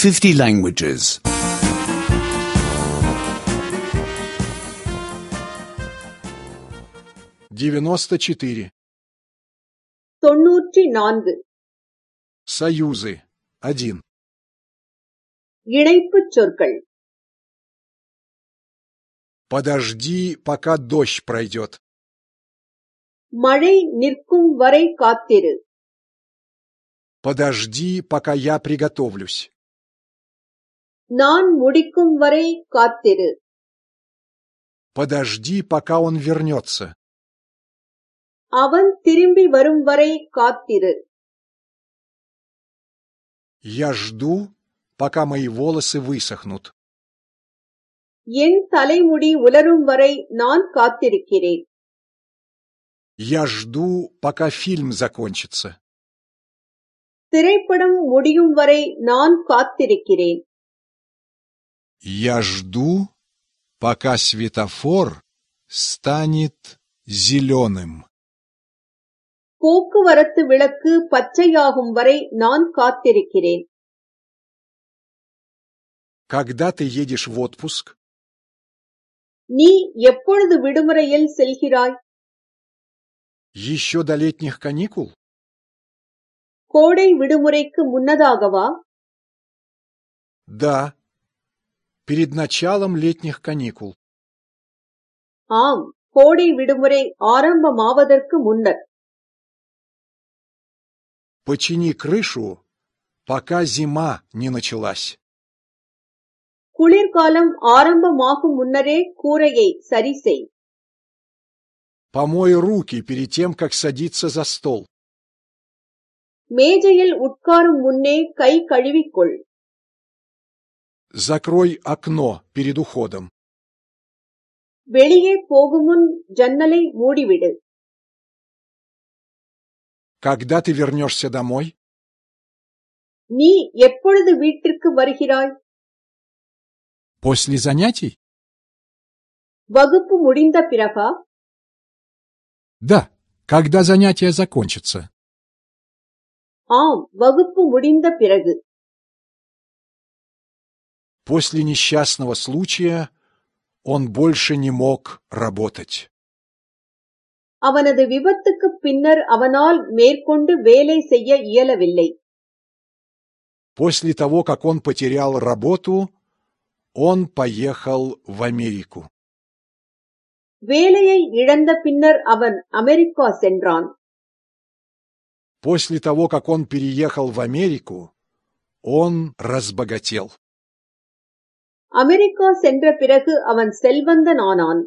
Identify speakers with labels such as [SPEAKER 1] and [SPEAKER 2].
[SPEAKER 1] 50 languages.
[SPEAKER 2] 94.
[SPEAKER 3] 94.
[SPEAKER 2] Союзы. 1.
[SPEAKER 3] இணைப்புச் சொற்கள்.
[SPEAKER 2] Подожди, пока дождь пройдет.
[SPEAKER 3] மழை நிற்கும் வரை காத்திரு.
[SPEAKER 2] Подожди, пока я приготовлюсь.
[SPEAKER 3] நான் முடிக்கும் வரை காத்திரு.
[SPEAKER 2] Подожди, пока он вернется.
[SPEAKER 3] அவன் திரும்பி வரும் வரை காத்திரு.
[SPEAKER 2] Я жду, пока мои волосы высохнут.
[SPEAKER 3] என் தலைமுடி உலரும் வரை நான் காத்திருக்கிறேன்.
[SPEAKER 2] Я жду, пока фильм закончится.
[SPEAKER 3] திரைப்படம் முடியும் வரை நான் காத்திருக்கிறேன்.
[SPEAKER 2] Я жду, пока светофор станет зеленым.
[SPEAKER 3] போக்குவரத்து விளக்கு பச்சையாகும் வரை நான் காத்திருக்கிறேன்.
[SPEAKER 2] Когда ты едешь в отпуск?
[SPEAKER 3] நீ எப்பொழுது விடுமுறையில் செல்கிறாய்?
[SPEAKER 2] Еще до летних каникул?
[SPEAKER 3] கோடை விடுமுறைக்கு முன்னதாகவா?
[SPEAKER 2] Да, перед началом летних каникул.
[SPEAKER 3] ஆம், கோடை விடுமுறை ஆரம்பமாவதற்கு முன்னர்.
[SPEAKER 2] Почини крышу, пока зима не началась.
[SPEAKER 3] குளிர்காலம் ஆரம்பமாகும் முன்னரே கூரையை சரி செய்.
[SPEAKER 2] Помой руки перед тем, как садиться за стол.
[SPEAKER 3] மேஜையில் உட்காரும் முன்னே கை கழுவிக்கொள்.
[SPEAKER 2] Закрой окно перед уходом.
[SPEAKER 3] வெளியே போகும் முன் ஜன்னலை மூடிவிடு.
[SPEAKER 2] Когда ты вернешься домой?
[SPEAKER 3] நீ எப்பொழுது வீட்டிற்கு வருகிறாய்?
[SPEAKER 2] После занятий?
[SPEAKER 3] வகுப்பு முடிந்த பிறகா?
[SPEAKER 2] Да, когда занятия закончатся.
[SPEAKER 3] ஆம், வகுப்பு முடிந்த பிறகு.
[SPEAKER 2] После несчастного случая он больше не мог работать.
[SPEAKER 3] அவனது விபத்துக்கு பின்னர் அவனால் மேற்கொண்டு வேலை செய்ய இயலவில்லை.
[SPEAKER 2] После того, как он потерял работу, он поехал в Америку.
[SPEAKER 3] வேலையை இழந்த பின்னர் அவன் அமெரிக்கா சென்றான்.
[SPEAKER 2] После того, как он переехал в Америку, он разбогател.
[SPEAKER 3] அமெரிக்கா சென்ற பிறகு அவன் செல்வந்தனானான்.